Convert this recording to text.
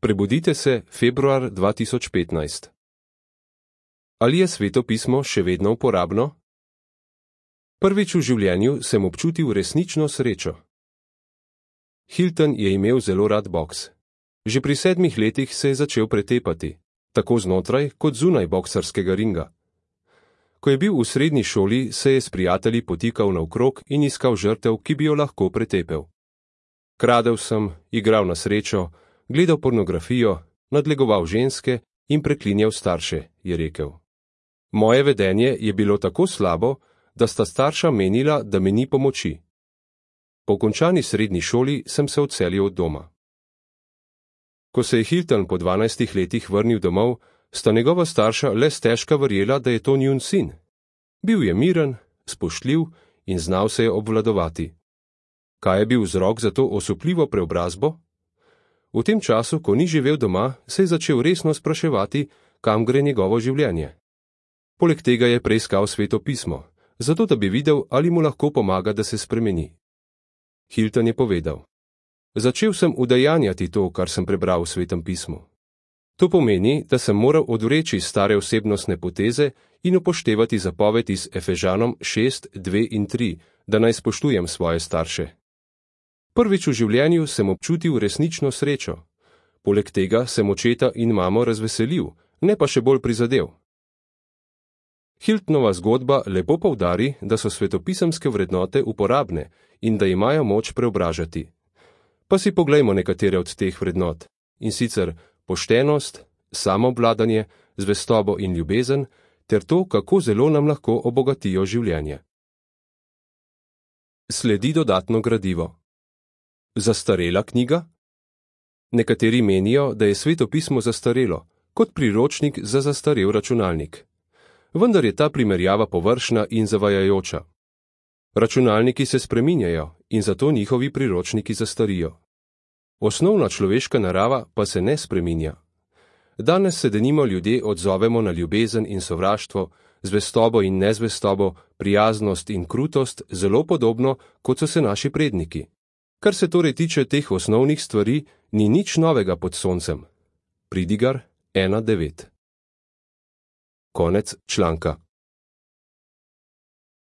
Prebudite se, februar 2015. Ali je Sveto pismo še vedno uporabno? Prvič v življenju sem občutil resnično srečo. Hilton je imel zelo rad boks. Že pri 7 letih se je začel pretepati, tako znotraj kot zunaj boksarskega ringa. Ko je bil v srednji šoli, se je s prijatelji potikal naokrog in iskal žrtev, ki bi jo lahko pretepel. Kradel sem, igral na srečo, gledal pornografijo, nadlegoval ženske in preklinjal starše, je rekel. Moje vedenje je bilo tako slabo, da sta starša menila, da mi ni pomoči. Po končani srednji šoli sem se odselil od doma. Ko se je Hilton po 12 letih vrnil domov, sta njegova starša le stežka verjela, da je to njun sin. Bil je miren, spoštljiv in znal se je obvladovati. Kaj je bil vzrok za to osupljivo preobrazbo? V tem času, ko ni živel doma, se je začel resno spraševati, kam gre njegovo življenje. Poleg tega je preiskal Sveto pismo, zato da bi videl, ali mu lahko pomaga, da se spremeni. Hilton je povedal: Začel sem udejanjati to, kar sem prebral v Svetem pismu. To pomeni, da sem moral odvreči stare osebnostne poteze in upoštevati zapoved iz Efežanom 6, 2 in 3, da naj spoštujem svoje starše. Prvič v življenju sem občutil resnično srečo. Poleg tega sem očeta in mamo razveselil, ne pa še bolj prizadel. Hiltonova zgodba lepo poudari, da so svetopisemske vrednote uporabne in da imajo moč preobražati. Pa si poglejmo nekatere od teh vrednot, in sicer poštenost, samoobvladanje, zvestobo in ljubezen, ter to, kako zelo nam lahko obogatijo življenje. Sledi dodatno gradivo. Zastarela knjiga? Nekateri menijo, da je Sveto pismo zastarelo, kot priročnik za zastarel računalnik. Vendar je ta primerjava površna in zavajajoča. Računalniki se spreminjajo in zato njihovi priročniki zastarijo. Osnovna človeška narava pa se ne spreminja. Danes se denimo ljudje odzovemo na ljubezen in sovraštvo, zvestobo in nezvestobo, prijaznost in krutost zelo podobno, kot so se naši predniki. Kar se torej tiče teh osnovnih stvari, ni nič novega pod soncem. Pridigar 1.9. Konec članka.